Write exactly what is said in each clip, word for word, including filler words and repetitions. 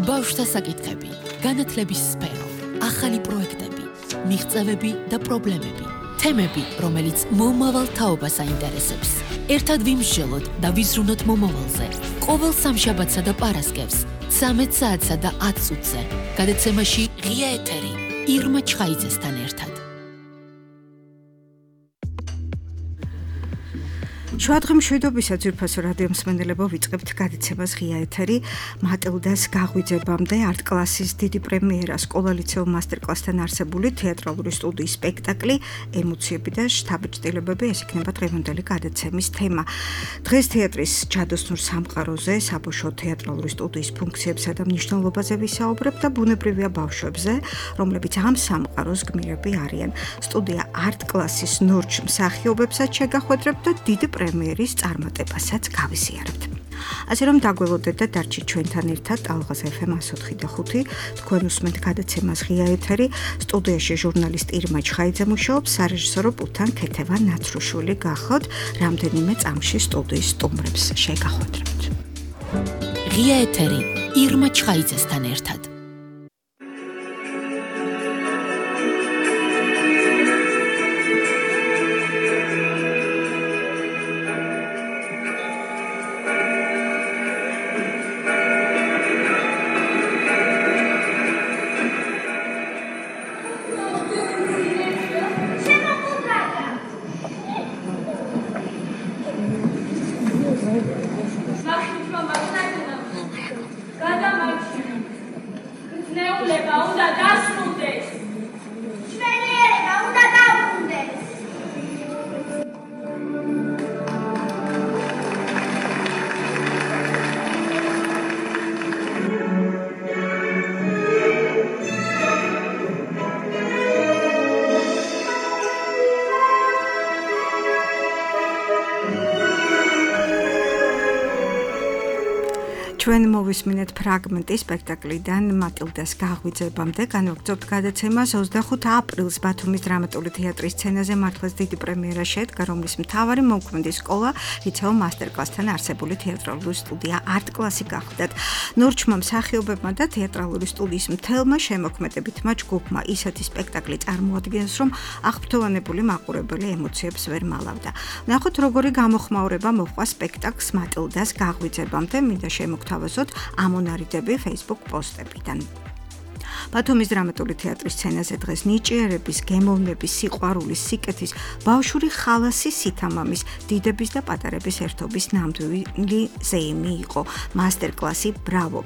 ბავშვთა საკითხები, განათლების სფერო, ახალი პროექტები, მიღწევები და პრობლემები, თემები, რომელიც მომავალ თაობას აინტერესებს. ერთად ვიმსჯელოთ და ვიზრუნოთ მომავალზე. ყოველ სამშაბათსა და პარასკევს, ცამეტ საათსა და ათ წუთზე. გადაცემაში ღია ეთერი, ირმა ჩხაიძესთან ერთად. შუადღე მშვიდობისა ძვირფასო რადიო მსმენელებო, ვიწყებთ გადაცემას ღია ეთერი. მატილდას გაღვიძებამდე არტ კლასის დიდი პრემიერა სკოლა-ლიცეუმ მასტერკლასთან არსებული თეატრალური სტუდიის სპექტაკლი ემოციები და შთაბეჭდილებები, ეს იქნება დღევანდელი გადაცემის თემა. დღეს თეატრის ჯადოსნურ სამყაროზე, საბავშვო თეატრალური სტუდიის ფუნქციებსა და მნიშვნელობაზე ვისაუბრებ და ბუნებრივია ბავშვებზე, რომლებიც ამ სამყაროს გმირები არიან. სტუდია არტ კლასის ნორჩ მსახიობებსაც შეგახვედრებთ და დიდი პრემიერის წარმატებასაც გავიზიარებთ. ასე რომ დაგველოდეთ და დარჩით ჩვენთან ერთად ალღაზ ეფ ემ εκατს ოთხი და ხუთი. თქვენ უსმენთ გადაცემას ღია ეთერი. სტუდიაში ჟურნალისტი ირმა ჩხაიძე მუშაობს, სარეჟისორო პულტთან ქეთევა ნაცრუშვილი გახოთ. რამდენიმე წამში სტუდიის სტუმრებს შეგახვედრებთ. ღია ეთერი, ირმა ჩხაიძესთან ერთად. ჩვენ მოვისმინეთ ფრაგმენტი სპექტაკლიდან მატილდას გაღვიძებამდე. განვაგრძობთ გადაცემას ოცდახუთი აპრილს ბათუმის დრამატული თეატრის სცენაზე მართლაც დიდი პრემიერა შედგა, რომლის მთავარი მოქმედი სკოლა ლიცეუმ მასტერკლასთან არსებული თეატრალური სტუდია არტ კლასი გახდათ. ნორჩმა მსახიობებმა და თეატრალური სტუდიის მთელმა შემოქმედებითმა ჯგუფმა ისეთი სპექტაკლი წარმოადგენს, რომ აღფრთოვანებული მაყურებელი ემოციებს ვერ მალავდა. ნახოთ, როგორი გამოხმაურება მოჰყვა სპექტაკლს მატილდას გაღვიძებამდე, მინდა შემოგთავაზოთ ამონარიდები Facebook პოსტებიდან. ბათუმის დრამატული თეატრის სცენაზე დღეს ნიჭიერების, გემოვნების, სიყვარულის, სიკეთის, ბავშვური ხალასის, სითამამის, დიდების და პატარების ერთობის ნამდვილი ზეიმი იყო. მასტერკლასი ბრავო.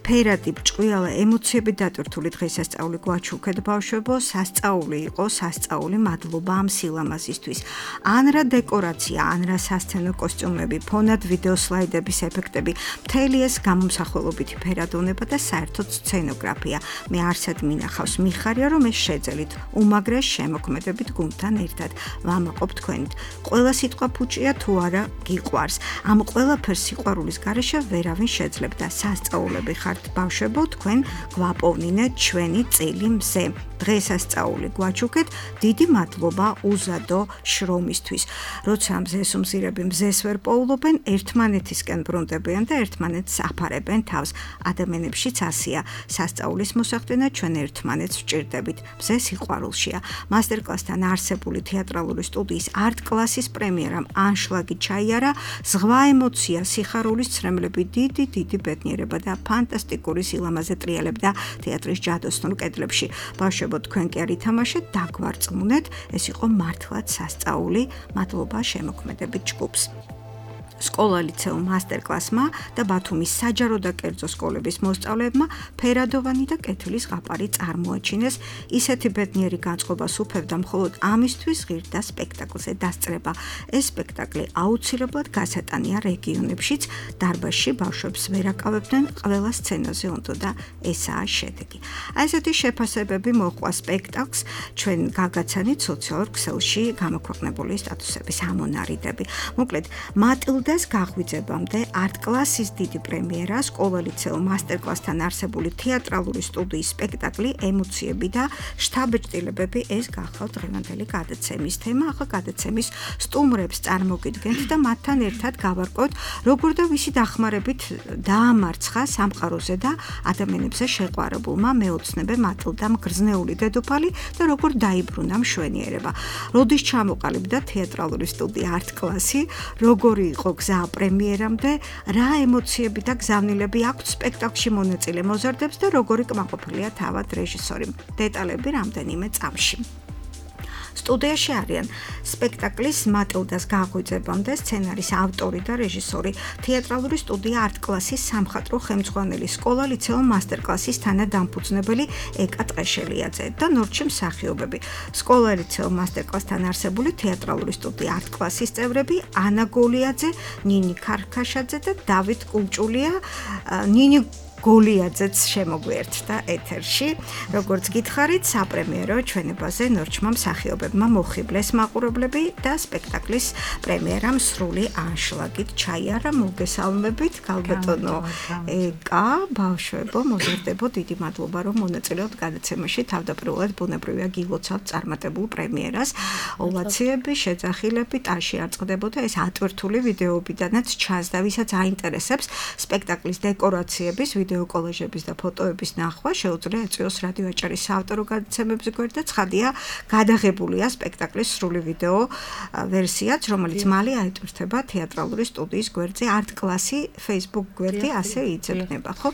ფერადი, ბრჭყვიალა, ემოციებით დატვირთული დღესასწაული გვაჩუქეთ ბავშვებო, სასწაული იყო, სასწაული მადლობა ამ სილამაზისთვის. ანრა დეკორაცია, ანრა სასცენო კოსტიუმები, ფონად ვიდეო სლაიდების ეფექტები, მთელი ეს გამომსახველობითი ფერადოვნება და საერთოდ სცენოგრაფია. მე არსად მინახავს მიხარია, რომ ეს შეძელით უმაგრე შემოქმედებით გუნდთან ერთად ვამაყობ თქვენით. ყველა სიტყვა ფუჭია თუ არა გიყვარს. ამ ყველაფერს სიყვარულის გარეშე ვერავინ შეძლებდა. სასწაულები ხართ ბავშვებო, თქვენ გვაპოვნინეთ ჩვენი წილი მზე. დღესასწაული გვაჩუქეთ, დიდი მადლობა უზადო შრომისთვის. როცა მზეს უმზირები მზეს ვერ პოულობენ, ერთმანეთისკენ ბრუნდებიან და ერთმანეთს აფარებენ თავს. ადამიანებშიც ასია. სასწაულის მოსახდენად ჩვენ ერთმანეთს ვჭირდებით. მზე სიყვარულშია. მასტერკლასთან არსებული თეატრალური სტუდიის არტ კლასის პრემიერამ ანშლაგი ჩაიარა, ზღვა ემოცია, სიხარულის ცრემლები, დიდი დიდი ბედნიერება და ფანტასტიკური სილამაზე ტრიალებდა თეატრის ჯადოსნურ კედლებში. ბავშვებო, თქვენ კი არ ითამაშეთ, დაგვარწმუნეთ, ეს იყო მართლაც სასწაული, მადლობა შემოქმედებით ჯგუფს. სკოლა ლიცეუმ მასტერკლასმა და ბათუმის საჯარო და კერძო სკოლების მოსწავლეებმა ფერადოვანი და კეთილის ზღაპარი წარმოაჩინეს. ისეთი ბედნიერი განწყობა სუფევდა მხოლოდ ამისთვის ღირდა სპექტაკლზე დასწრება. ეს სპექტაკლი აუცილებლად გასატანია რეგიონებშიც, დარბაზში ბავშვებს ვერ აკავებდნენ, ყველა სცენაზე უნდა და ესაა შედეგი. აი ესეთი შეფასებები მოჰყვა სპექტაკლს, ჩვენ გაგაცანით სოციალურ ქსელში გამოქვეყნებული სტატუსების ამონარიდები. მოკლედ, მატილდა მატილდეს გაღვიძებამდე არტ კლასის დიდი პრემიერა სკოლა-ლიცეო მასტერკლასთან არსებული თეატრალური სტუდიის სპექტაკლი ემოციები და შთაბეჭდილებები ეს გახავთ დღევანდელი გადაცემის თემა. ახლა გადაცემის სტუმრებს წარმოგიდგენთ და მათთან ერთად გავარკვევთ როგორ და ვისი დახმარებით დაამარცხა სამყაროზე და ადამიანებზე შეყვარებულმა მეოცნებე მატილდამ გრძნეული დედოფალი და როგორ დაიბრუნა მშვენიერება. როდის ჩამოყალიბდა თეატრალური სტუდია არტ კლასი, როგორი იყო გზა პრემიერამდე, რა ემოციები და გზავნილები აქვთ სპექტაკლში მონაწილე მოზარდებს და როგორი კმაყოფილია თავად რეჟისორი. დეტალები რამდენიმე წამში. სტუდიაში არიან სპექტაკლის მატილდას გაღვიძებამდე სცენარის ავტორი და რეჟისორი, თეატრალური სტუდია არტ კლასის სამხატვრო ხელმძღვანელი, სკოლა-ლიცეო მასტერკლასის თანადამფუძნებელი ეკა ტყეშელიაძე და ნორჩი მსახიობები. სკოლა-ლიცეო მასტერკლასთან არსებული თეატრალური სტუდია არტ კლასის წევრები ანა გოლიაძე, ნინი ქარქაშაძე და დავით კულჭულია. ნინი გოლიაძეც შემოგვიერთდა ეთერში. როგორც გითხარით, საპრემიერო ჩვენებაზე ნორჩმა მსახიობებმა მოხიბლეს მაყურებლები და სპექტაკლის პრემიერამ სრული ანშლაგით ჩაიარა. მოგესალმებით, გალბატონო ეკა, ბავშვებო, მოზარდებო, დიდი მადლობა რომ მონაწილეობთ გადაცემაში. თავდაპირველად ბუნებრივია გილოცავთ წარმატებულ პრემიერას. ოვაციები, შეძახილები, ტაში არ წყდებოდა ეს ატვირთული ვიდეოებიდანაც ჩანს და ვისაც აინტერესებს სპექტაკლის დეკორაციების ვიდეო კოლაჟების და ფოტოების ნახვა შეუძლია ეწვიოს რადიო აჭარის საავტორო გადაცემებზე გვერდ და ცხადია გადაღებულია სპექტაკლის სრული ვიდეო ვერსიაც, რომელიც მალე აიტვირთება თეატრალური სტუდიის გვერდზე არტ კლასი Facebook გვერდი ასე იძებნება, ხო?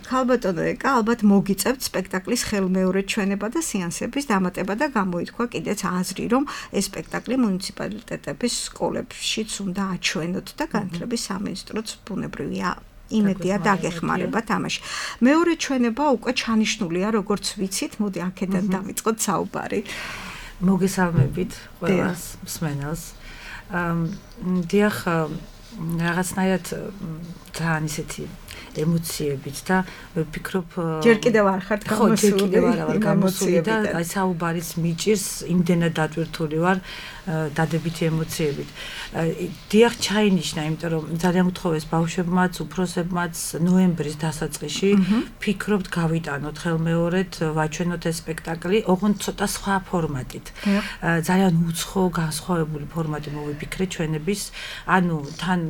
ქალბატონო ეკა, ალბათ მოგიწევთ სპექტაკლის ხელმეორედ ჩვენება და სეანსების დამატება და გამოითქვა კიდეც აზრი, რომ ეს სპექტაკლი მუნიციპალიტეტების სკოლებშიც უნდა აჩვენოთ და განათლების სამინისტროც ბუნებრივია იმედია დაგეხმარება თამაში. მეორე ჩვენება უკვე ჩანიშნულია, როგორც ვიცით, მოდი აქედან დავიწყოთ საუბარი. მოგესალმებით ყველას მსმენელს. დიახ, რაღაცნაირად ძალიან ისეთი ემოციებით და ვფიქრობ ჯერ კიდევ არ ხართ გამოსული. ხო, ჯერ კიდევ არ ვარ გამოსული და აი საუბარიც მიჭირს, იმდენად დატვირთული ვარ დადებითი ემოციებით. დიახ, ჩაინიშნა, იმიტომ რომ ძალიან გთხოვეს ბავშვებმაც, უფროსებმაც ნოემბრის დასაწყისში ფიქრობთ გავიტანოთ ხელმეორედ, ვაჩვენოთ ეს სპექტაკლი, ოღონდ ცოტა სხვა ფორმატით. ძალიან უცხო, განსხვავებული ფორმატი მოვიფიქრე ჩვენების, ანუ თან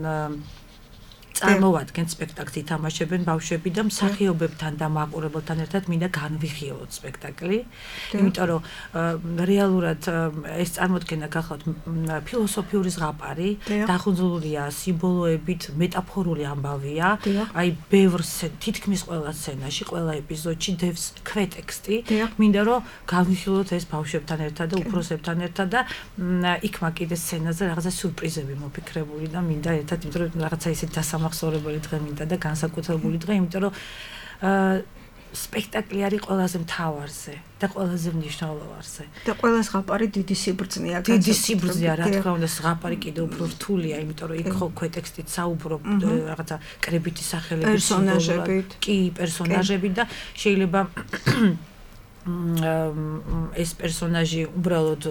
წარმოვადგენ სპექტაკლს ითამაშებენ ბავშვები და მსახიობებთან და მაყურებელთან ერთად მინდა განვიხილოთ სპექტაკლი. იმიტომ რომ რეალურად ეს წარმოდგენა გახლავთ ფილოსოფიური ზღაპარი, დახუნძლულია სიმბოლოებით, მეტაფორული ამბავია. აი ბევრ თითქმის ყველა სცენაში, ყველა ეპიზოდში დევს ქვეტექსტი. მინდა რომ განვიხილოთ ეს ბავშვებთან ერთად და უფროსებთან ერთად და იქ მაგ კიდე სცენაზე რაღაცა სიურპრიზები მოფიქრებული და მინდა ერთად, იმიტომ რომ რაღაცა ისეთი დასამახსოვრებელი ხსორებული დღე მინდა და განსაკუთრებული დღე, იმიტომ რომ სპექტაკლი არის ყველაზე მთავარზე და ყველაზე მნიშვნელოვანზე. და ყველა ზღაპარი დიდი სიბრძნეა. დიდი სიბრძნეა, რა თქმა უნდა, ზღაპარი კიდევ უფრო რთულია, იმიტომ რომ იქ ხო ქვეტექსტით საუბრობ რაღაცა კრებითი სახელების პერსონაჟებით, კი, პერსონაჟებით და შეიძლება ეს პერსონაჟი უბრალოდ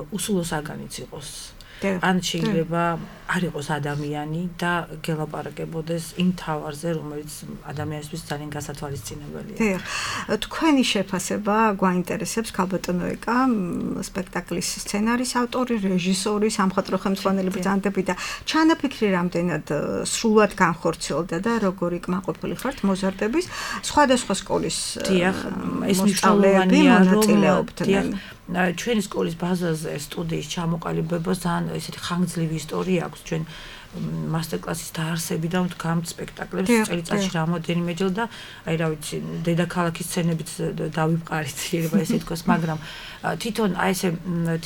უსულო საგანიც იყოს. ან შეიძლება არ იყოს ადამიანი და გელაპარაკებოდეს იმ თავარზე, რომელიც ადამიანისთვის ძალიან გასათვალისწინებელია. დიახ. თქვენი შეფასება გვაინტერესებს, ქალბატონო ეკა, სპექტაკლის სცენარის ავტორი, რეჟისორი, სამხატვრო ხელმძღვანელი ბრძანდები და ჩანაფიქრი რამდენად სრულად განხორციელდა და როგორი კმაყოფილი ხართ მოზარდების სხვადასხვა სკოლის მოსწავლეები მონაწილეობდნენ. ჩვენი სკოლის ბაზაზე სტუდიის ჩამოყალიბებას ძალიან ესეთი ხანგრძლივი ისტორია აქვს. ჩვენ მასტერკლასის დაარსებიდან ვდგამთ სპექტაკლებს წელიწადში რამოდენიმეჯერ და აი რა ვიცი, დედაქალაქის სცენებით დავივყარით, შეიძლება ესე ითქვას, მაგრამ თვითონ აი ესე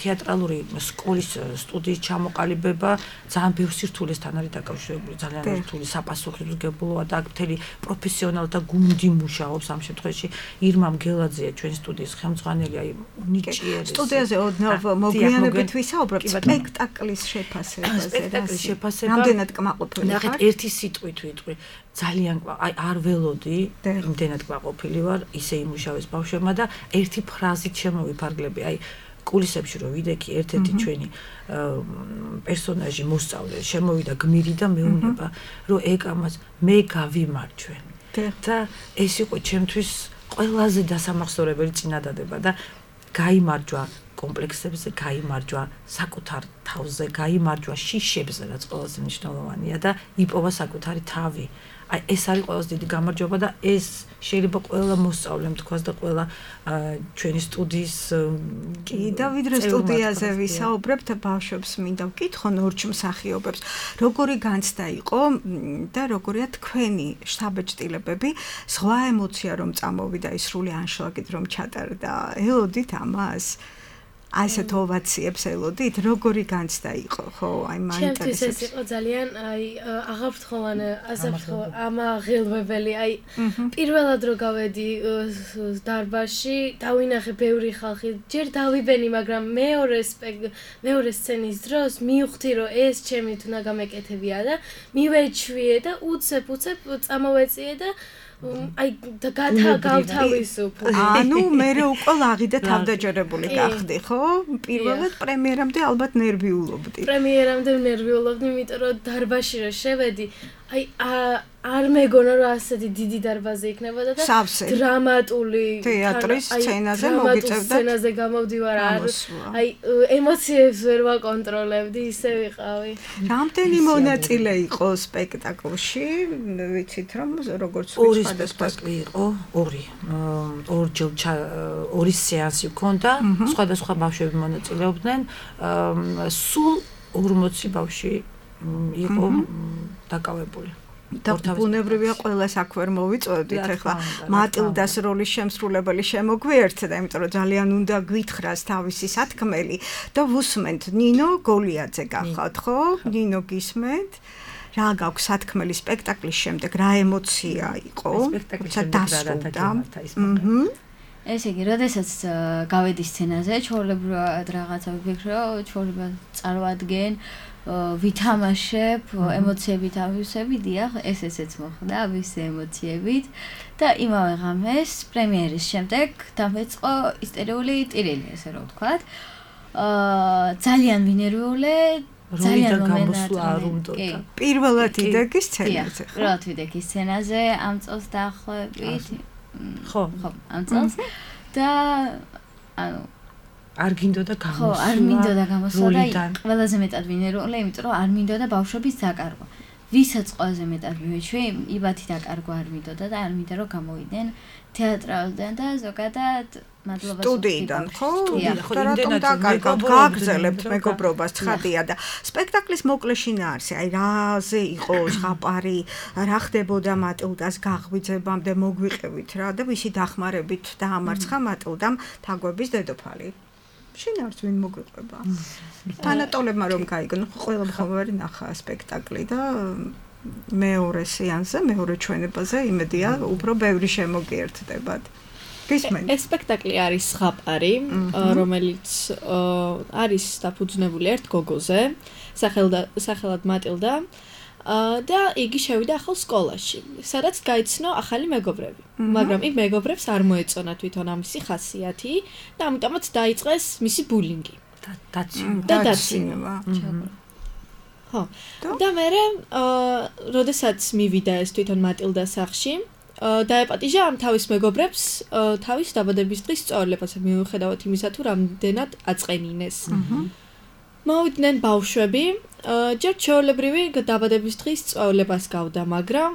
თეატრალური სკოლის სტუდიის ჩამოყალიბება ძალიან ბევრ სირთულესთან არის დაკავშირებული, ძალიან რთული საპასუხისმგებლოა და მთელი პროფესიონალთა გუნდი მუშაობს ამ შემთხვევაში. ირმა მგელაძეა ჩვენი სტუდიის ხელმძღვანელი, აი ნიჭიერი. სტუდიაზე ოდნავ მოგვიანებით ვისაუბრებთ სპექტაკლის შეფასებაზე. სპექტაკლის შეფასება რამდენად კმაყოფილი ხარ? ნახეთ, ერთი სიტყვით ვიტყვი. ძალიან აი არ ველოდი, იმდენად კმაყოფილი ვარ, ისე იმუშავეს ბავშვებმა და ერთი ფრაზით შემოვიფარგლები. აი კულისებში რო ვიდექი ერთ-ერთი ჩვენი პერსონაჟი მოსწავლე შემოვიდა გმირი და მეუბნება რომ ეკამას მე გავიმარჯვენ და ეს იყო ჩემთვის ყველაზე დასამახსოვრებელი წინადადება და გაიმარჯვა კომპლექსებზე, გაიმარჯვა საკუთარ თავზე, გაიმარჯვა შიშებზე, რაც ყველაზე მნიშვნელოვანია და იპოვა საკუთარი თავი. აი ეს არის ყველაზე დიდი გამარჯვება და ეს შეიძლება ყველა მოსწავლემ თქვას და ყველა ჩვენი სტუდიის კი და ვიდრე სტუდიაზე ვისაუბრებთ ბავშვებს მინდა ვკითხონ ორჩ მსახიობებს როგორი განცდა იყო და როგორია თქვენი შთაბეჭდილებები სხვა ემოცია რომ წამოვიდა ის სრული ანშლაგით რომ ჩატარდა ელოდით ამას აი ესეთ ოვაციებს ელოდით როგორი განცდა იყო ხო აი მაინტერესებს ჩემთვის ეს იყო ძალიან აი აღაფრთხოვანი ასაფრთხო ამაღელვებელი აი პირველად რო გავედი დარბაზში დავინახე ბევრი ხალხი ჯერ დავიბენი მაგრამ მეორე მეორე სცენის დროს მივხვდი რომ ეს ჩემი თუნა გამეკეთებია და მივეჩვიე და უცებ უცებ წამოვეწიე და აი და გავთავისუფლე. ანუ მე უკვე ლაღი და თავდაჯერებული გახდი, ხო? პირველად პრემიერამდე ალბათ ნერვიულობდი. პრემიერამდე ნერვიულობდი, იმიტომ რომ დარბაზში რო შევედი, აი არ მეგონა რომ ასეთი დიდი დარბაზი იქნებოდა და დრამატული თეატრის სცენაზე მოგიწევდა. სცენაზე გამოვდივარ, აი ემოციებს ვერ ვაკონტროლებდი, ისე ვიყავი. რამდენი მონაწილე იყო სპექტაკლში? ვიცით რომ როგორც ორი სპექტაკლი იყო, ორი. ორჯერ ორი სეანსი ჰქონდა, სხვადასხვა ბავშვები მონაწილეობდნენ. სულ ორმოცი ბავშვი იყო დაკავებული. და ბუნებრივია ყველას აქ ვერ მოვიწოდით ახლა მატილდას როლის შემსრულებელი შემოგვიერთდა იმიტომ რომ ძალიან უნდა გვითხრას თავისი სათქმელი და ვუსმენთ ნინო გოლიაძე გახავთ ხო ნინო გისმენთ რა გაქვს სათქმელი სპექტაკლის შემდეგ რა ემოცია იყო სპექტაკლიში დასრულდა ესე იგი, როდესაც გავედი სცენაზე, ჩვეულებრივად რაღაცა ვიფიქრო, ჩვეულებრივად წარვადგენ, ვითამაშებ, ემოციებით ავისები, დიახ, ეს ესეც მოხდა, ავისე ემოციებით და იმავე ღამეს პრემიერის შემდეგ დამეწყო ისტერიული ტირილი, ესე რომ ვთქვათ. აა ძალიან ვინერვიულე ძალიან მომენტი. პირველად იდექი სცენაზე. პირველად ვიდექი სცენაზე ამ წელს დაახლოებით ხო, ხო, ამ წელს და ანუ არ გინდოდა გამოსვლა. ხო, არ მინდოდა გამოსვლა და ყველაზე მეტად ვინერვიულე, იმიტომ რომ არ მინდოდა ბავშვების დაკარგვა. ვისაც ყველაზე მეტად მივეჩვი, იბათი დაკარგვა არ მინდოდა და არ მინდა რომ გამოვიდნენ თეატრალიდან და ზოგადად მადლობა სტუდიიდან, ხო? და რატომ დაკარგავთ? გააგრძელებთ მეგობრობას, ცხადია და სპექტაკლის მოკლე შინაარსი, აი რაზე იყო ზღაპარი, რა ხდებოდა მატილდას გაღვიძებამდე მოგვიყევით რა და ვისი დახმარებით დაამარცხა მატილდამ თაგვების დედოფალი. შინაარსს ვინ მოგვიყვება? ფანატოლებმა რომ გაიგონო, ყველა მხოლოდ ნახა სპექტაკლი და მეორე სეანსზე, მეორე ჩვენებაზე იმედია უფრო ბევრი შემოგიერთდებათ. ეს სპექტაკლი არის ზღაპარი, რომელიც არის დაფუძნებული ერთ გოგოზე, სახელად მატილდა და იგი შევიდა ახალ სკოლაში, სადაც გაიცნო ახალი მეგობრები. მაგრამ იმ მეგობრებს არ მოეწონა თვითონ ამისი ხასიათი და ამიტომაც დაიწყეს მისი ბულინგი. და დაცინება. ხო. და მერე, როდესაც მივიდა ეს თვითონ მატილდას სახლში, დაეპატიჟა ამ თავის მეგობრებს თავის დაბადების დღის სწორლებას, მიუხედავად იმისა, თუ რამდენად აწყენინეს. მოვიდნენ ბავშვები, ჯერ ჩვეულებრივი დაბადების დღის სწავლებას გავდა, მაგრამ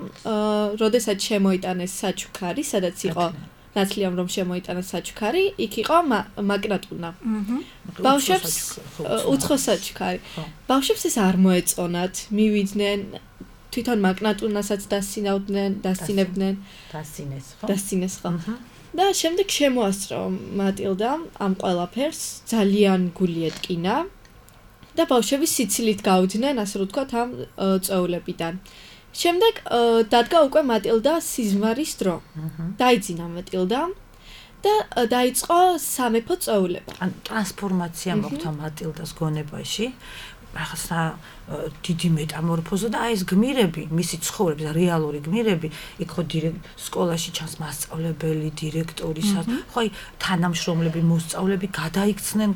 როდესაც შემოიტანეს საჩუქარი, სადაც იყო ნაცლიამ რომ შემოიტანეს საჩუქარი, იქ იყო მაგნატუნა. ბავშვებს უცხო საჩუქარი. ბავშვებს ეს არ მოეწონათ, მივიდნენ თვითონ მაგნატუნასაც დასცინავდნენ, დასცინებდნენ, დასცინეს, ხო? დასცინეს, ხო. და შემდეგ შემოასწრო მატილდამ ამ ყველაფერს, ძალიან გული ეტკინა. და ბავშვები სიცილით გავიდნენ, ასე რომ ვთქვათ, ამ წვეულებიდან. შემდეგ დადგა უკვე მატილდა სიზმარის დრო. დაიძინა მატილდა და დაიწყო სამეფო წვეულება. ან ტრანსფორმაცია მოხდა მატილდას გონებაში. რაღაცა დიდი მეტამორფოზა და აი ეს გმირები, მისი ცხოვრების და რეალური გმირები, იქ ხო სკოლაში ჩანს მასწავლებელი, დირექტორი, ხო აი თანამშრომლები, მოსწავლეები გადაიქცნენ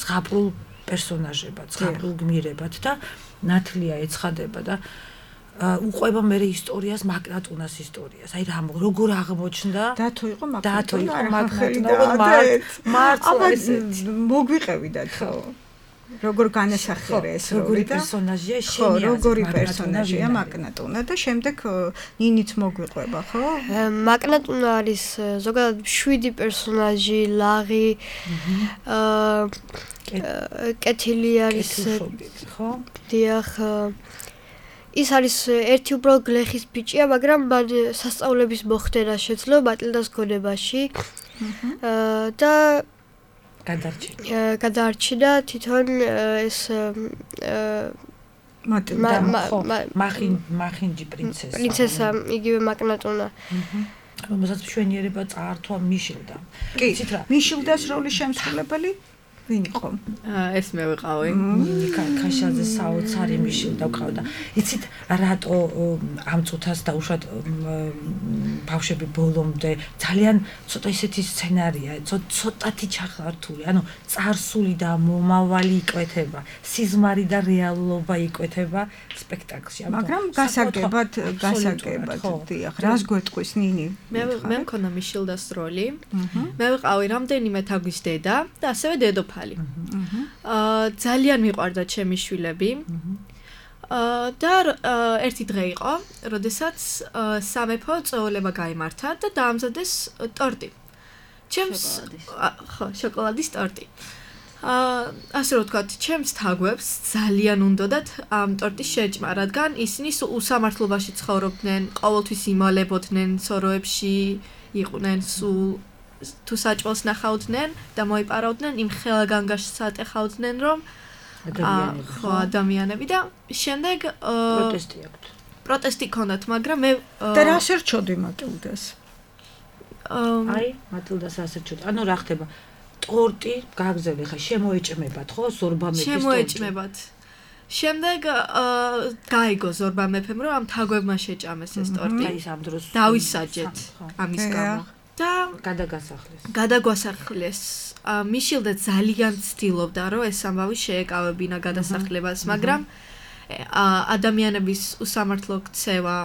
ზღაპრულ პერსონაჟებად, ზღაპრულ გმირებად და ნათლია ეცხადება და უყვება მე ისტორიას, მაგნატუნას ისტორიას. აი რა როგორ აღმოჩნდა? დათო იყო მაგნატუნა. დათო იყო მაგნატუნა. მართლა ესეთი. მოგვიყევიდათ ხო? როგორ განასახიერე ეს როგორი პერსონაჟია შენი ხო როგორი პერსონაჟია მაგნატუნა და შემდეგ ნინიც მოგვიყვება ხო? მაგნატუნა არის ზოგადად შვიდი პერსონაჟი, ლაღი, აა კეთილი არის ხო? დიახ ის არის ერთი უბრალოდ გლეხის ბიჭია, მაგრამ მან სასწავლების მოხდენა შეძლო მატილდას გონებაში. აა და გადარჩინა. გადარჩინა თვითონ ეს მატილდა მახინ მახინჯი პრინცესა. პრინცესა, იგივე მაგნატუნა. რომელსაც მშვენიერება წაართვა მიშილდა. კი, მიშილდას როლის შემსრულებელი ვინ იყო? ეს მე ვიყავი. ნიკა ქაშაძე საოცარი მიშილდა ვყავდა. იცით რატო ამ წუთას დაუშვათ ბავშვები ბოლომდე ძალიან ცოტა ისეთი სცენარია, ცოტათი ჩახართული, ანუ წარსული და მომავალი იკვეთება, სიზმარი და რეალობა იკვეთება სპექტაკლში. მაგრამ გასაგებად, გასაგებად, დიახ, რას გვეტყვის ნინი? მე მე მქონდა მიშილდას როლი. მე ვიყავი რამდენიმე თაგვის დედა და ასევე დედოფალი. აა ძალიან მიყვარდა ჩემი შვილები. აა და ერთი დღე იყო, როდესაც სამეფო წეულება გაიმართა და დაამზადეს ტორტი. ჩემს ხო, შოკოლადის ტორტი. აა ასე რომ ვთქვათ, ჩემს თაგვებს ძალიან უნდათ ამ ტორტის შეჭმა, რადგან ისინი უსამართლობაში ცხოვრობდნენ, ყოველთვის იმალებოდნენ სოროებში, იყვნენ სულ თუ საჭმელს ნახავდნენ და მოიპარავდნენ იმ ხელგანგაშს ატეხავდნენ რომ ადამიანები ხო ადამიანები და შემდეგ პროტესტი აქვთ. პროტესტი ქონდათ, მაგრამ მე და რა შერჩოდი მატილდას? აი, მატილდას ასერჩოდი. ანუ რა ხდება? ტორტი გაგზავნე ხა შემოეჭმებათ, ხო? ზორბა მეფის ტორტი. შემოეჭმებათ. შემდეგ გაიგო ზორბა მეფემ რომ ამ თაგვებმა შეჭამეს ეს ტორტი. აი ამ დროს დავისაჯეთ ამის გამო. და გადაგასახლეს. გადაგვასახლეს. მიშილდა ძალიან ცდილობდა, რომ ეს ამბავი შეეკავებინა გადასახლებას, მაგრამ ადამიანების უსამართლო ქცევა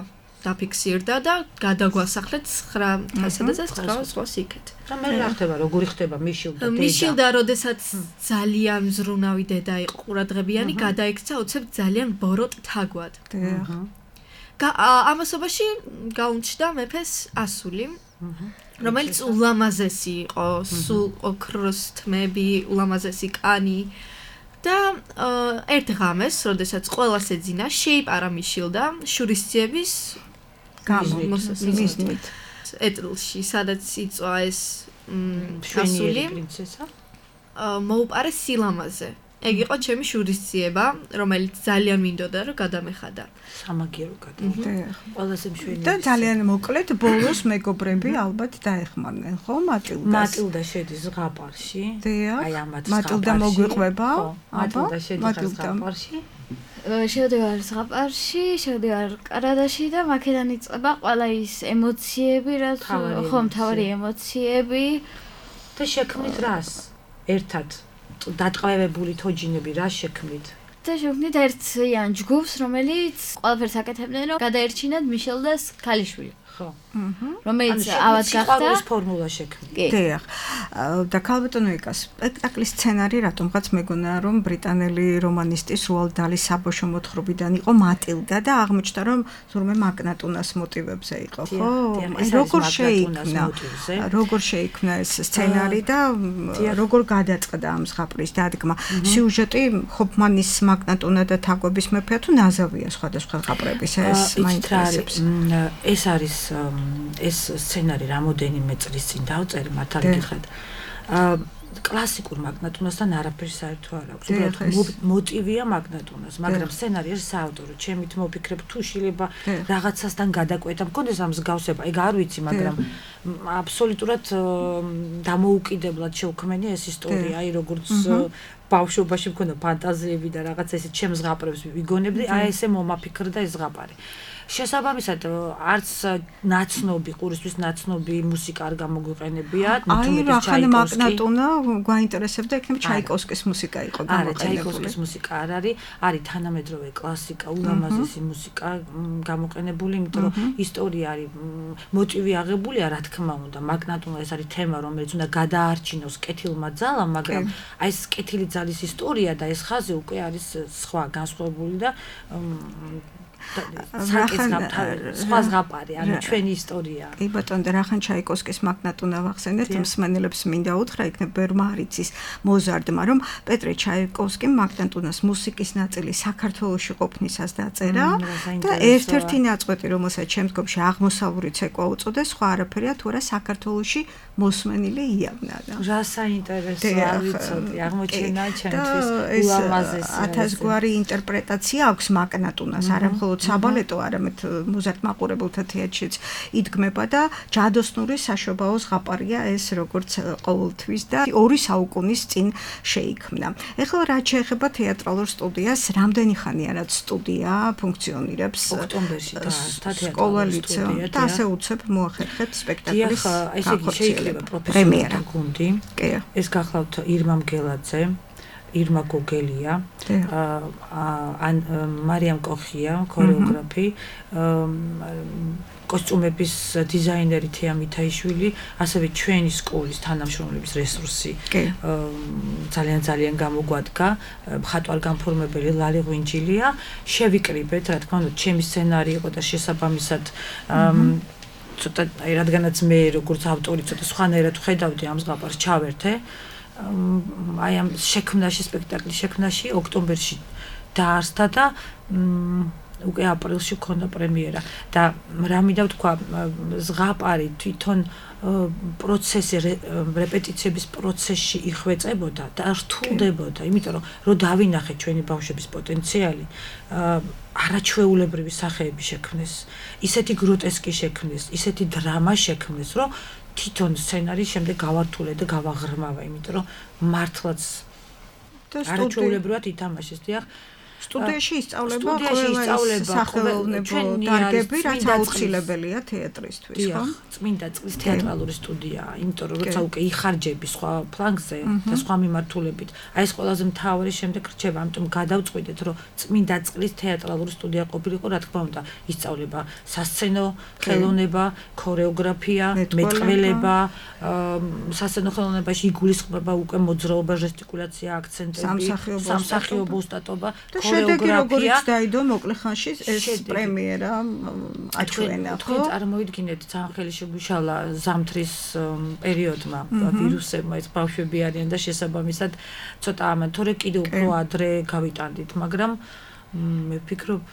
დაფიქსირდა და გადაგვასახლეთ ცხრა სადაც ცხრა ზღვას იქეთ. რა მე რა ხდება, როგორი ხდება მიშილდა დედა? მიშილდა, როდესაც ძალიან მზრუნავი დედა იყო ყურადღებიანი, გადაიქცა უცებ ძალიან ბოროტ თაგვად. ამასობაში გაუნჩდა მეფეს ასული. რომელიც ულამაზესი იყო, სულ ოქროს თმები, ულამაზესი კანი და ერთ ღამეს, როდესაც ყველას ეძინა, შეიპარა მიშილდა შურისძიების გამოსმით. ეტლში, სადაც იწვა ეს ასული პრინცესა, მოუპარეს სილამაზე. ეგ იყო ჩემი შურისძიება, რომელიც ძალიან მინდოდა რომ გადამეხადა. სამაგიერო გადამეხადა. ყველაზე მშვენიერი. და ძალიან მოკლედ ბოლოს მეგობრები ალბათ დაეხმარნენ, ხო, მატილდას? მატილდა შედის ზღაპარში. აი ამათ მატილდა მოგვიყვება? მატილდა შედის ზღაპარში. შევდივარ ზღაპარში, შევდივარ კანადაში და მაქედან იწყება ყველა ის ემოციები, რაც ხო, მთავარი ემოციები და შექმნით რას? ერთად დატყვევებული თოჯინები რა შექმნით? და შექმნით ერთ იან ჯგუფს, რომელიც ყველაფერს აკეთებდნენ, რომ გადაერჩინათ მიშელდას ქალიშვილი. ხო. რომელიც ავად გახდა ეს ფორმულა შექმნით. დიახ. და ქალბატონო იკას სპექტაკლის სცენარი რატომღაც მეგონა რომ ბრიტანელი რომანისტის რუალდ დალის საბოშო მოთხრობიდან იყო მატილდა და აღმოჩნდა რომ თურმე მაგნატუნას მოტივებზე იყო, ხო? როგორ შეიქმნა? როგორ შეიქმნა ეს სცენარი და როგორ გადაწყდა ამ ზღაპრის დადგმა? სიუჟეტი ჰოფმანის მაგნატუნა და თაგვების მეფეა თუ ნაზავია სხვადასხვა ზღაპრების ეს მაინტერესებს. ეს არის ეს სცენარი რამოდენიმე წლის წინ დავწერე მართალი გიხართ. კლასიკურ მაგნატუნასთან არაფერი საერთო არ აქვს. უბრალოდ მოტივია მაგნატუნას, მაგრამ სცენარი არის საავტორო. ჩემით მოფიქრებ თუ შეიძლება რაღაცასთან გადაკვეთა, მქონდეს ამ მსგავსება, ეგ არ ვიცი, მაგრამ აბსოლუტურად დამოუკიდებლად შევქმენი ეს ისტორია, აი როგორც ბავშვობაში მქონდა ფანტაზიები და რაღაცა ესე ჩემს ზღაპრებს ვიგონებდი, აი ესე მომაფიქრდა ეს ზღაპარი. შესაბამისად არც ნაცნობი ყურისთვის ნაცნობი მუსიკა არ გამოგვიყენებია აი რა ხან მაგნატუნა გვაინტერესებდა იქნება ჩაიკოვსკის მუსიკა იყო გამოყენებული არა ჩაიკოვსკის მუსიკა არ არის არის თანამედროვე კლასიკა ულამაზესი მუსიკა გამოყენებული იმიტომ რომ ისტორია არის მოტივი აღებულია რა თქმა უნდა მაგნატუნა ეს არის თემა რომელიც უნდა გადაარჩინოს კეთილმა ძალამ მაგრამ აი ეს კეთილი ძალის ისტორია და ეს ხაზი უკვე არის სხვა განსხვავებული და სხვა ზღაპარი, ანუ ჩვენი ისტორია. კი ბატონო, და რახან ჩაიკოვსკის მაგნატუნა ვახსენეთ, მსმენელებს მინდა უთხრა, იქნებ ბევრმა არ იცის მოზარდმა, რომ პეტრე ჩაიკოვსკიმ მაგნატუნას მუსიკის ნაწილი საქართველოში ყოფნისას დაწერა და ერთ-ერთი ნაწყვეტი, რომელსაც შემდგომში აღმოსავლური ცეკვა უწოდეს, სხვა არაფერია, თუ არა საქართველოში მოსმენილი იავნა. რა საინტერესო არ ვიცოდი, აღმოჩენა ჩემთვის ულამაზესი. ათასგვარი ინტერპრეტაცია აქვს მაგნატუნას, არა მხოლოდ საბალეტო, არამედ მოზარდ მაყურებელთა თეატრშიც იდგმება და ჯადოსნური საშობაო ზღაპარია ეს როგორც ყოველთვის და ორი საუკუნის წინ შეიქმნა. ეხლა რაც შეეხება თეატრალურ სტუდიას, რამდენი ხანია რაც სტუდია ფუნქციონირებს? ოქტომბერში დაარსდა სკოლა ლიცეუმ და ასე უცებ მოახერხეთ სპექტაკლის შეიძლება პროფესიონალი გუნდი. ეს გახლავთ ირმა მგელაძე, ირმა გოგელია, ან მარიამ კოხია, ქორეოგრაფი, კოსტუმების დიზაინერი თეა მითაიშვილი, ასევე ჩვენი სკოლის თანამშრომლების რესურსი ძალიან ძალიან გამოგვადგა, მხატვარ განფორმებელი ლალი ღვინჯილია, შევიკრიბეთ, რა თქმა უნდა, ჩემი სცენარი იყო და შესაბამისად ცოტა აი რადგანაც მე როგორც ავტორი ცოტა სხვანაირად ვხედავდი ამ ზღაპარს ჩავერთე აი ამ შექმნაში სპექტაკლის შექმნაში ოქტომბერში დაარსდა და უკვე აპრილში ქონდა პრემიერა და რა მინდა ვთქვა ზღაპარი თვითონ პროცესი რეპეტიციების პროცესში იხვეწებოდა და რთულდებოდა იმიტომ რომ რო დავინახეთ ჩვენი ბავშვების პოტენციალი არაჩვეულებრივი სახეები შექმნეს ისეთი გროტესკი შექმნეს ისეთი დრამა შექმნეს რომ თვითონ სცენარის შემდეგ გავართულე და გავაღრმავა იმიტომ რომ მართლაც არაჩვეულებრივად ითამაშეს დიახ სტუდიაში ისწავლება ყველა სახელოვნებო დარგები, რაც აუცილებელია თეატრისთვის, ხო? წმინდა წყლის თეატრალური სტუდიაა, იმიტომ რომ როცა უკვე იხარჯები სხვა ფლანგზე და სხვა მიმართულებით, აი ეს ყველაზე მთავარი შემდეგ რჩება, ამიტომ გადავწყვიტეთ, რომ წმინდა წყლის თეატრალური სტუდია ყოფილიყო, რა თქმა უნდა, ისწავლება სასცენო ხელოვნება, ქორეოგრაფია, მეტყველება, სასცენო ხელოვნებაში იგულისხმება უკვე მოძრაობა, ჟესტიკულაცია, აქცენტები, სამსახიობო ოსტატობა შედეგი როგორც დაიდო მოკლე ხანში ეს პრემიერა აჩვენა ხო? თქვენ წარმოიდგინეთ ძალიან ხელი შეგვიშალა ზამთრის პერიოდმა ვირუსებმა ეს ბავშვები არიან და შესაბამისად ცოტა ამან თორე კიდევ უფრო ადრე გავიტანდით მაგრამ მე ვფიქრობ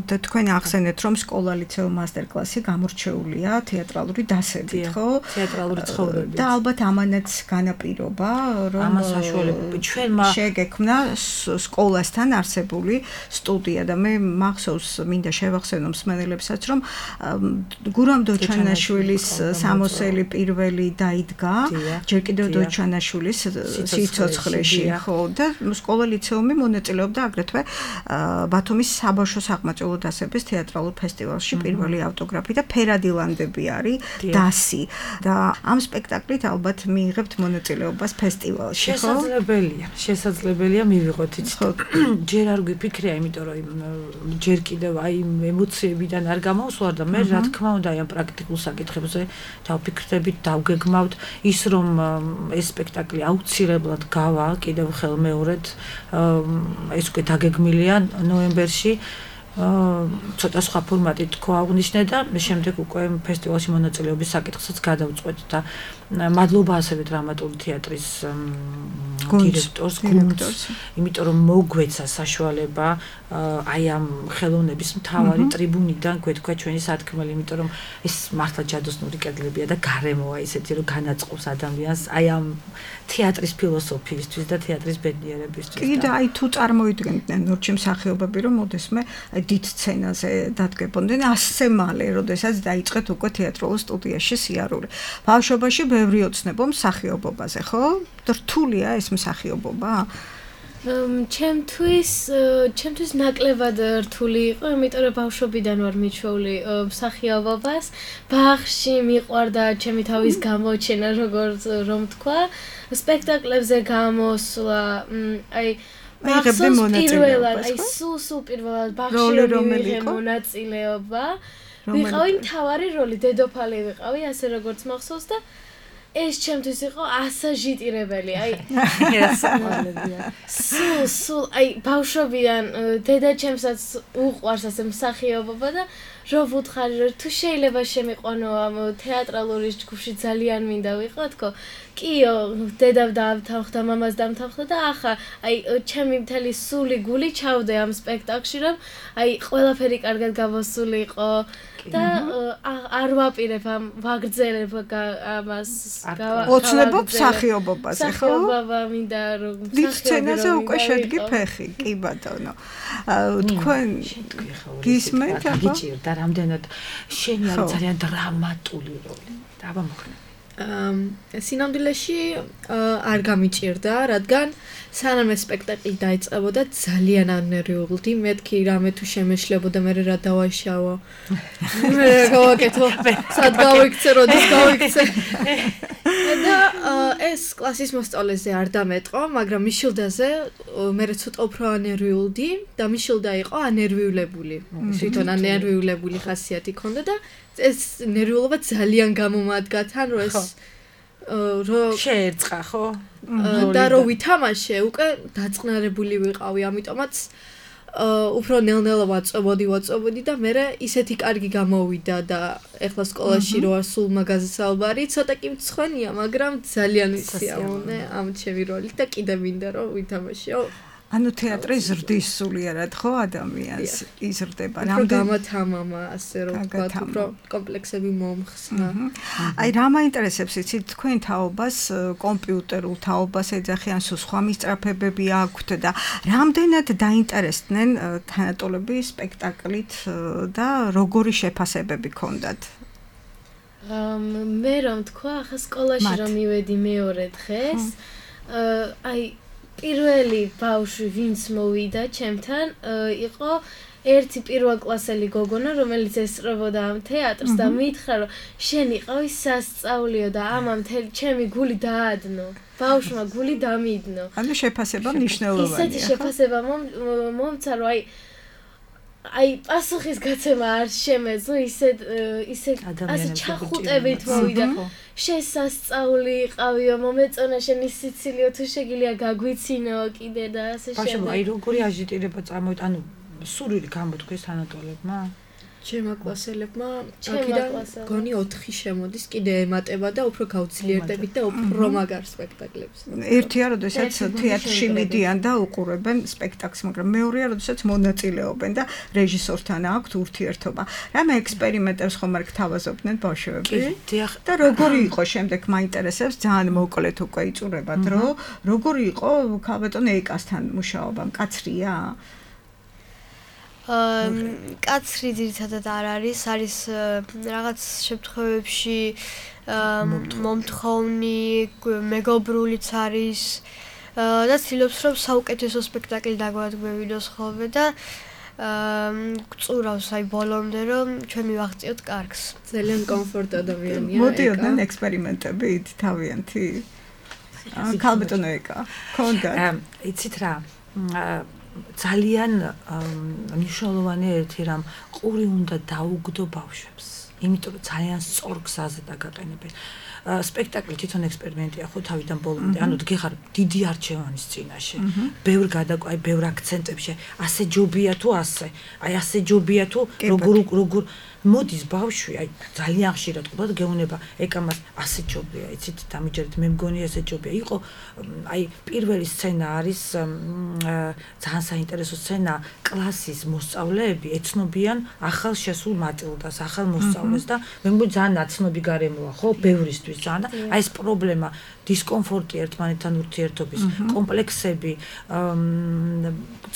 და თქვენ ახსენეთ რომ სკოლა ლიცეუმ მასტერკლასი გამორჩეულია თეატრალური დასებით ხო? თეატრალური ცხოვრებით და ალბათ ამანაც განაპირობა რომ ამას საშუალება ჩვენმა შეგექმნა სკოლასთან არსებული სტუდია და მე მახსოვს მინდა შევახსენო მსმენელებსაც რომ გურამ დოჩანაშვილის სამოსელი პირველი დაიდგა ჯერ კიდევ დოჩანაშვილის სიცოცხლეში ხო და სკოლა ლიცეუმი მონაწილეობდა აგრეთვე ბათუმის საბავშვო საყმაწვილო დასების თეატრალურ ფესტივალში პირველი ავტოგრაფი და ფერადილანდები არის დასი და ამ სპექტაკლით ალბათ მიიღებთ მონაწილეობას ფესტივალში ხო? შესაძლებელია, შესაძლებელია მივიღოთ იცით. ჯერ არ გვიფიქრია, იმიტომ რომ ჯერ კიდევ აი ემოციებიდან არ გამოვსვარ და მე რა თქმა უნდა აი ამ პრაქტიკულ საკითხებზე დავფიქრდებით, დავგეგმავთ ის რომ ეს სპექტაკლი აუცილებლად გავა კიდევ ხელმეორედ ეს უკვე დაგეგმილია ნოემბერში ცოტა სხვა ფორმატით თქვა აღნიშნე და შემდეგ უკვე ფესტივალში მონაწილეობის საკითხსაც გადავწყვეტ და მადლობა ასევე დრამატული თეატრის დირექტორს, გუნდს, იმიტომ რომ მოგვეცა საშუალება აი ამ ხელოვნების მთავარი ტრიბუნიდან გვეთქვა ჩვენი სათქმელი, იმიტომ რომ ეს მართლა ჯადოსნური კედლებია და გარემოა ისეთი რომ განაწყობს ადამიანს აი ამ თეატრის ფილოსოფიისთვის და თეატრის ბედნიერებისთვის. კი და აი თუ წარმოიდგენდნენ ნორჩი მსახიობები რომ მოდესმე აი დიდ სცენაზე დადგებოდნენ ასე მალე, როდესაც დაიწყეთ უკვე თეატრალურ სტუდიაში სიარული. ბავშვობაში ბევრი ოცნებო მსახიობობაზე, ხო? რთულია ეს მსახიობობა? ჩემთვის ჩემთვის ნაკლებად რთული იყო, იმიტომ რომ ბავშვობიდან ვარ მიჩვეული მსახიობობას. ბაღში მიყვარდა ჩემი თავის გამოჩენა, როგორც რომ თქვა, სპექტაკლებზე გამოსვლა, აი აიღებდი მონაწილეობას, აი სულ სულ პირველად ბაღში მივიღე მონაწილეობა. ვიყავი მთავარი როლი, დედოფალი ვიყავი, ასე როგორც მახსოვს და ეს ჩემთვის იყო ასაჟიტირებელი, აი სულ სულ აი ბავშვობიდან დედა ჩემსაც უყვარს ასე მსახიობობა და რო ვუთხარი რომ თუ შეიძლება შემიყვანო ამ თეატრალური ჯგუფში ძალიან მინდა ვიყო თქო კიო დედა დავთანხმდა მამას დამთანხმდა და ახლა აი ჩემი მთელი სული გული ჩავდე ამ სპექტაკლში რომ აი ყველაფერი კარგად გამოსული იყო და არ ვაპირებ ამ ვაგრძელებ ამას ოცნებო მსახიობობაზე ხო? მსახიობობა მინდა რომ სცენაზე უკვე შედგი ფეხი, კი ბატონო. თქვენ გისმენთ აბა? გიჭირდა რამდენად შენი არის ძალიან დრამატული როლი. და აბა მოხდა. სინამდვილეში არ გამიჭირდა, რადგან სანამ ეს სპექტაკლი დაიწყებოდა ძალიან ანერვიულდი, მეთქი რამე თუ შემეშლებოდა მე რა დავაშავო. მე რა გავაკეთო? სად გავიქცე, როდის გავიქცე? და ეს კლასის მოსწავლეზე არ დამეტყო, მაგრამ მიშილდაზე მე ცოტა უფრო ანერვიულდი და მიშილდა იყო ანერვიულებული. თვითონ ანერვიულებული ხასიათი ჰქონდა და ეს ნერვიულობა ძალიან გამომადგა თან რომ ეს რო შეერწყა ხო? და რო ვითამაშე უკვე დაწყნარებული ვიყავი, ამიტომაც უფრო ნელ-ნელა ვაწვებოდი, ვაწვებოდი და მე ისეთი კარგი გამოვიდა და ეხლა სკოლაში რო არ სულ მაგაზე საუბარი, ცოტა კი მცხვენია, მაგრამ ძალიან ვისიამოვნე ამ ჩემი როლით და კიდე მინდა რომ ვითამაშეო. ანუ თეატრი ზრდის სულიერად ხო ადამიანს იზრდება რამდენი გამათამამა ასე რომ ვთქვა უფრო კომპლექსები მომხსნა. აი რა მაინტერესებს იცით თქვენ თაობას კომპიუტერულ თაობას ეძახიან სულ სხვა მისწრაფებები აქვთ და რამდენად დაინტერესდნენ თანატოლები სპექტაკლით და როგორი შეფასებები ჰქონდათ? მე რომ თქვა ახლა სკოლაში რომ მივედი მეორე დღეს აი პირველი ბავშვი ვინც მოვიდა ჩემთან იყო ერთი პირველკლასელი გოგონა რომელიც ესწრებოდა ამ თეატრს და მითხრა რომ შენ იყავი სასწაულიო და ამა მთელი ჩემი გული დაადნო ბავშვმა გული დამიდნო ანუ შეფასება მნიშვნელოვანია ისეთი შეფასება მომცა რომ აი აი პასუხის გაცემა არ შემეძლო ისე ისე ასე ჩახუტებით მოვიდა შესასწაული იყავიო მომეწონა შენი სიცილიო თუ შეგიძლია გაგვიცინო კიდე და ასე შემდეგ. ბავშვი აი როგორი აჟიტირება წარმოვიდა ანუ სურვილი გამოთქვეს თანატოლებმა? ჩემმა კლასელებმა აქედან გონი ოთხი შემოდის კიდე ემატება და უფრო გავძლიერდებით და უფრო მაგარ სპექტაკლებს. ერთია როდესაც თეატრში მიდიან და უყურებენ სპექტაკლს, მაგრამ მეორეა როდესაც მონაწილეობენ და რეჟისორთან აქვთ ურთიერთობა. რამე ექსპერიმენტებს ხომ არ გთავაზობდნენ ბავშვები? და როგორი იყო შემდეგ მაინტერესებს ძალიან მოკლედ უკვე იწურება დრო, როგორი იყო ქალბატონ ეკასთან მუშაობა? მკაცრია? კაცრი ძირითადად არ არის, არის რაღაც შემთხვევებში მომთხოვნი, მეგობრულიც არის და ცდილობს რომ საუკეთესო სპექტაკლი დაგვადგმევინოს ხოლმე და გწურავს აი ბოლომდე რომ ჩვენ მივაღწიოთ კარგს. ძალიან კომფორტ ადამიანია. მოდიოდნენ ექსპერიმენტებით თავიანთი? ქალბატონ ეკა, ქონდა? იცით რა? ძალიან მნიშვნელოვანი ერთი რამ ყური უნდა დაუგდო ბავშვებს. იმიტომ რომ ძალიან სწორ გზაზე დაგაყენებენ. სპექტაკლი თვითონ ექსპერიმენტია ხო თავიდან ბოლომდე. ანუ გიხარ დიდი არჩევანის წინაშე. ბევრ გადაკვაი, ბევრ აქცენტებში. ასე ჯობია თუ ასე. აი ასე ჯობია თუ როგორ როგორ მოდის ბავშვი, აი ძალიან ხშირად ყובად გეუნება ეკამას ასე ჯობია, იცით, დამიჯერეთ, მე მგონი ასე ჯობია. იყო აი პირველი სცენა არის ძალიან საინტერესო სცენა, კლასის მოსწავლეები ეცნობიან ახალ შესულ მატილდას, ახალ მოსწავლეს და მე მგონი ძალიან ნაცნობი გარემოა, ხო, ბევრისთვის ძალიან. აი ეს პრობლემა, დისკომფორტი ერთმანეთთან ურთიერთობის, კომპლექსები,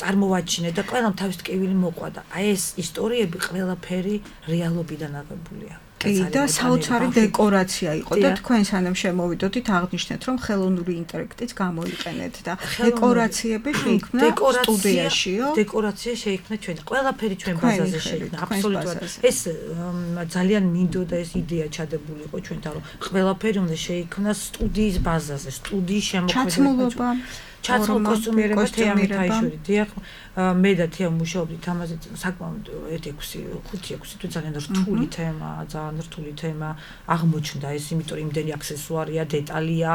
წარმოვაჩინე და ყველამ თავის ტკივილი მოყვა და აი ეს ისტორიები ყველაფერი რეალობიდან აღებულია. კი, და საოცარი დეკორაცია იყო და თქვენ სანამ შემოვიდოდით აღნიშნეთ, რომ ხელოვნური ინტელექტიც გამოიყენეთ და დეკორაციები შეიქმნა სტუდიაშიო. დეკორაცია შეიქმნა ჩვენ, ყველაფერი ჩვენ ბაზაზე შეიქმნა, აბსოლუტურად. ეს ძალიან მინდოდა ეს იდეა ჩადებული იყო ჩვენთან, რომ ყველაფერი უნდა შეიქმნას სტუდიის ბაზაზე, სტუდიის შემოქმედება. ჩაცმულობა ჩაცმულ კოსტუმირება თეატრში. დიახ, მე და თეა მუშაობდით ამაზე საკმაოდ ერთი ექვსი, ხუთი ექვსი თუ ძალიან რთული თემა, ძალიან რთული თემა აღმოჩნდა ეს, იმიტომ რომ იმდენი აქსესუარია, დეტალია,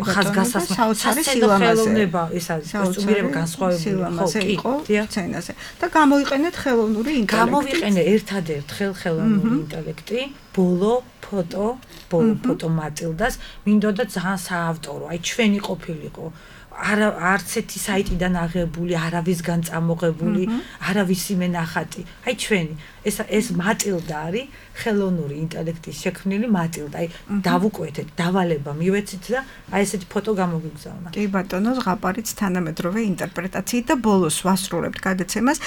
ხაზგასასმა, საოცარი სილამაზე. ეს არის კოსტუმირება განსხვავებული ხო, კი, სცენაზე. და გამოიყენეთ ხელოვნური ინტელექტი. გამოვიყენე ერთადერთ ხელოვნური ინტელექტი, ბოლო ფოტო, ბოლო ფოტო მატილდას, მინდოდა ძალიან საავტორო, აი ჩვენი ყოფილიყო. არა არც ერთი საიტიდან აღებული, არავისგან წამოღებული, არავისი მენახატი. აი ჩვენი ეს ეს მატილდა არის ხელოვნური ინტელექტის შექმნილი მატილდა. აი დავუკვეთეთ, დავალება მივეცით და აი ესეთი ფოტო გამოგიგზავნა. კი ბატონო, ზღაპარიც თანამედროვე ინტერპრეტაციით და ბოლოს ვასრულებთ გადაცემას.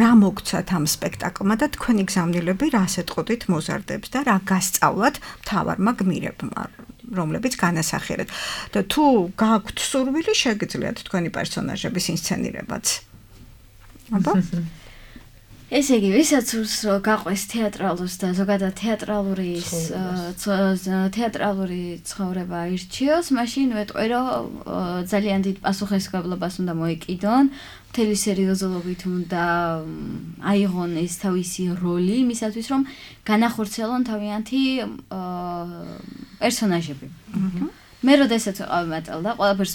რა მოგცათ ამ სპექტაკლმა და თქვენი გზავნილები რას ეტყოდით მოზარდებს და რა გასწავლათ მთავარმა გმირებმა? რომლებიც განასახიერეთ და თუ გააქვთ სურვილი შეგიძლიათ თქვენი პერსონაჟების ინსცენირებაც. აბა ესე იგი, ვისაც სურს გაყვეს თეატრალურს და ზოგადად თეატრალური თეატრალური ცხოვრება ირჩიოს, მაშინ ვეტყვი, რომ ძალიან დიდ პასუხისმგებლობას უნდა მოეკიდონ, მთელი სერიოზულობით უნდა აიღონ ეს თავისი როლი იმისათვის, რომ განახორციელონ თავიანთი პერსონაჟები. მე როდესაც ვიყავი მატილდა, ყველაფერს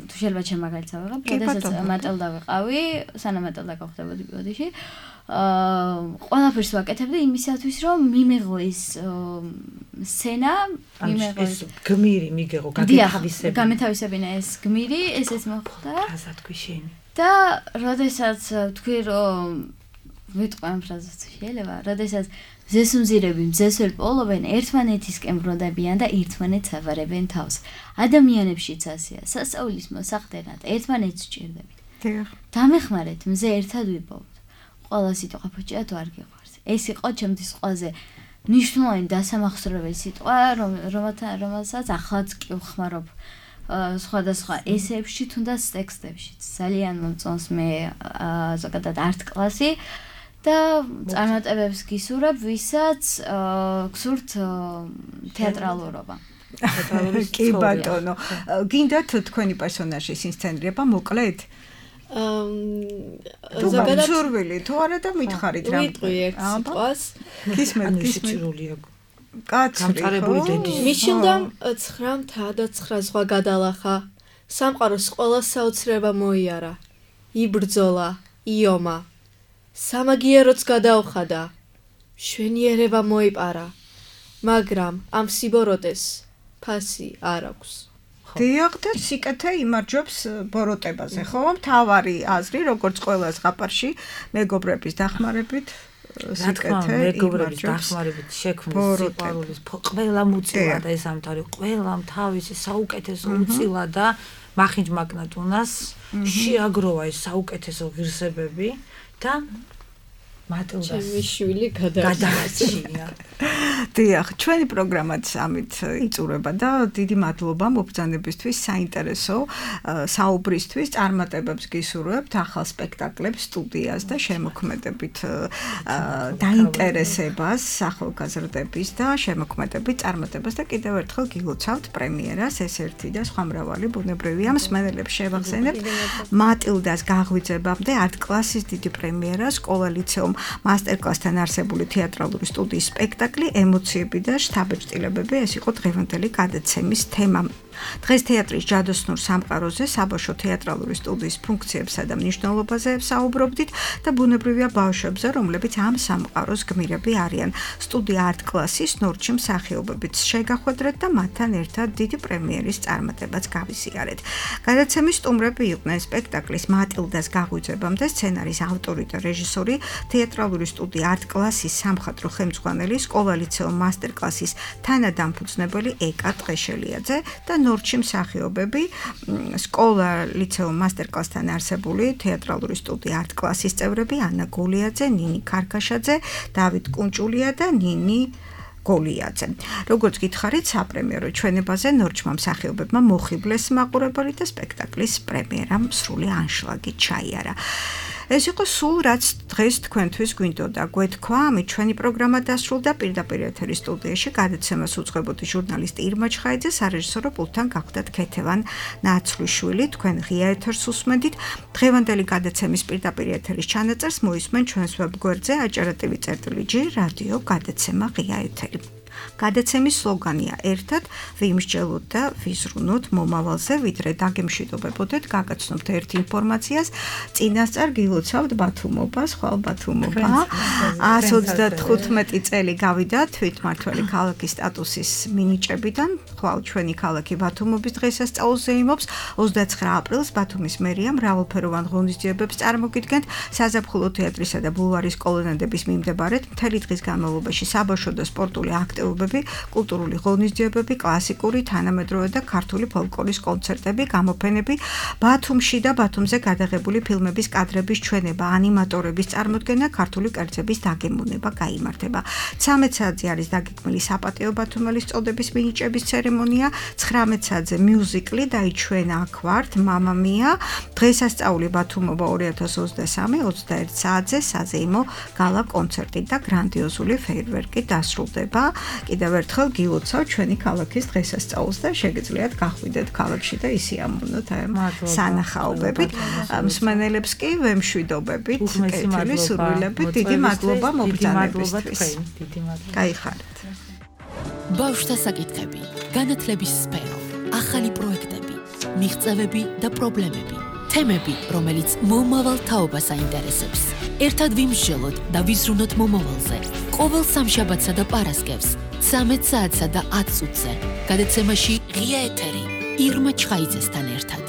თუ შეიძლება ჩემ მაგალითს ავიღებ, როდესაც მატილდა ვიყავი, სანამ მატილდა გავხდებოდი ბოდიში, აა ყველაფერს ვაკეთებდი იმისათვის, რომ მიმეღო ეს სცენა, მიმეღო ეს გმირი მიგეღო, გაგეთავისებინა. გამეთავისებინა ეს გმირი, ესეც მოხდა. ასე თქვი შენ. და როდესაც თქვი, რომ ვიტყვი ამ ფრაზას შეიძლება, როდესაც ზესუმზირები მზესველ პოლობენ, ერთმანეთისკენ ბრუნდებიან და ერთმანეთს აბარებენ თავს. ადამიანებშიც ასეა, სასწაულის მოსახდენად ერთმანეთს სჭირდებიან. დიახ. დამეხმარეთ, მზე ერთად ვიპოვოთ. ყველა სიტყვა ფოჭია თუ არ გიყვარს. ეს იყო ჩემთვის ყველაზე მნიშვნელოვანი დასამახსოვრებელი სიტყვა, რომელსაც ახლაც კი ვხმარობ სხვადასხვა ესეებში, თუნდაც ტექსტებში. ძალიან მომწონს მე ზოგადად არტ კლასი. და წარმატებებს გისურვებ, ვისაც გსურთ თეატრალურობა. კი ბატონო, გინდათ თქვენი პერსონაჟის ინსცენირება მოკლედ? ზოგადად სურვილი თუ არა და მითხარით რა. ვიტყვი ერთ სიტყვას. გისმენთ, გისმენთ. კაცრი ხო? მიშილდა ცხრა მთა და ცხრა ზღვა გადალახა. სამყაროს ყველა საოცრება მოიარა. იბრძოლა, იომა. სამაგიეროც გადაუხადა, შვენიერება მოიპარა, მაგრამ ამ სიბოროტეს ფასი არ აქვს. დიახ, და სიკეთე იმარჯვებს ბოროტებაზე, ხო? მთავარი აზრი, როგორც ყველა ზღაპარში, მეგობრების დახმარებით სიკეთე მეგობრების დახმარებით შექმნის სიყვარულის ყველა მუცილა და ეს ამთავრი ყველამ თავისი საუკეთესო უცილა და მახინჯმაკნად უნას შეაგროვა ეს საუკეთესო ღირსებები და მატილდას ჩემი შვილი გადაარჩინა. დიახ, ჩვენი პროგრამაც ამით იწურება და დიდი მადლობა მობრძანებისთვის, საინტერესო საუბრისთვის, წარმატებებს გისურვებთ, ახალ სპექტაკლებს, სტუდიას და შემოქმედებით დაინტერესებას, ახალგაზრდების და შემოქმედებით წარმატებას და კიდევ ერთხელ გილოცავთ პრემიერას, ეს ერთი და სხვა მრავალი ბუნებრივია მსმენელებს შევახსენებთ. მატილდას გაღვიძებამდე არტ კლასის დიდი პრემიერა სკოლა ლიცეუმ მასტერკლასთან არსებული თეატრალური სტუდიის სპექტაკლი ემოციები და შთაბეჭდილებები ეს იყო დღევანდელი გადაცემის თემა. დღეს თეატრის ჯადოსნურ სამყაროზე საბავშვო თეატრალური სტუდიის ფუნქციებსა და მნიშვნელობაზე საუბრობდით და ბუნებრივია ბავშვებზე, რომლებიც ამ სამყაროს გმირები არიან. სტუდია არტ კლასის ნორჩი მსახიობებიც შეგახვედრეთ და მათთან ერთად დიდი პრემიერის წარმატებაც გავიზიარეთ. გადაცემის სტუმრები იყვნენ სპექტაკლის მატილდას გაღვიძებამდე სცენარის ავტორი და რეჟისორი, თეატრალური სტუდია არტ კლასის სამხატვრო ხელმძღვანელი, სკოლა-ლიცეუმ მასტერკლასის თანადამფუძნებელი ეკა ტყეშელიაძე და ნორჩი მსახიობები, სკოლა-ლიცეუმ მასტერკლასთან არსებული თეატრალური სტუდია არტ კლასის წევრები ანა გულიაძე, ნინი ქარქაშაძე, დავით კუნჭულია და ნინი გოლიაძე. როგორც გითხარით, საპრემიერო ჩვენებაზე ნორჩმა მსახიობებმა მოხიბლეს მაყურებელი და სპექტაკლის პრემიერამ სრული ანშლაგი ჩაიარა. ეს იყო სულ რაც დღეს თქვენთვის გვინდოდა გვეთქვა, ამით ჩვენი პროგრამა დასრულდა. პირდაპირ ეთერის სტუდიაში გადაცემას უძღვებოდი ჟურნალისტი ირმა ჩხაიძე, სარეჟისორო პულტთან გახდათ ქეთევან ნაცვლიშვილი. თქვენ ღია ეთერს უსმენდით. დღევანდელი გადაცემის პირდაპირ ეთერის ჩანაწერს მოისმენ ჩვენს ვებგვერდზე aჭარა.tv.jr რადიო გადაცემა ღია ეთერი. გადაცემის სლოგანია ერთად ვიმსჯელოთ და ვიზრუნოთ მომავალზე, ვიდრე დაგემშვიდობებოდეთ, გაგაცნობთ ერთ ინფორმაციას, წინასწარ გილოცავთ ბათუმობას, ხვალ ბათუმობა. ათს ოცდათხუთმეტი წელი გავიდა თვითმმართველი ქალაქის სტატუსის მინიჭებიდან, ხვალ ჩვენი ქალაქი ბათუმობის დღესასწაულზე იმობს. ოცდაცხრა აპრილს ბათუმის მერია მრავალფეროვან ღონისძიებებს წარმოგიდგენთ საზაფხულო თეატრისა და ბულვარის კოლონადების მიმდებარედ მთელი დღის განმავლობაში საბავშვო და სპორტული აქტივობები, კულტურული ღონისძიებები, კლასიკური, თანამედროვე და ქართული ფოლკლორის კონცერტები, გამოფენები, ბათუმში და ბათუმზე გადაღებული ფილმების კადრების ჩვენება, ანიმატორების წარმოდგენა, ქართული კერძების დაგემოვნება გაიმართება. ცამეტ საათზე არის დაგეგმილი საპატიო ბათუმელის წოდების მინიჭების ცერემონია, ცხრამეტ საათზე მიუზიკლი დაიჩვენა აქ ვართ, მამა მია, დღესასწაული ბათუმობა ორი ათას ოცდასამი, ოცდაერთ საათზე საზეიმო გალა კონცერტი და გრანდიოზული ფეირვერკი დასრულდება. კიდევ ერთხელ გილოცავ ჩვენი ქალაქის დღესასწაულს და შეგიძლიათ გახვიდეთ ქალაქში და ისიამოვნოთ სანახაობებით. მსმენელებს კი ვემშვიდობებით, კეთილი სურვილებით, დიდი მადლობა მობრძანებისთვის. გაიხარეთ. ბავშვთა საკითხები, განათლების სფერო, ახალი პროექტები, მიღწევები და პრობლემები, თემები, რომელიც მომავალ თაობას აინტერესებს. ერთად ვიმსჯელოთ და ვიზრუნოთ მომავალზე. ყოველ სამშაბათსა და პარასკევს, ცამეტ საათსა და ათ წუთზე. გადაცემაში ღია ეთერი ირმა ჩხაიძესთან ერთად.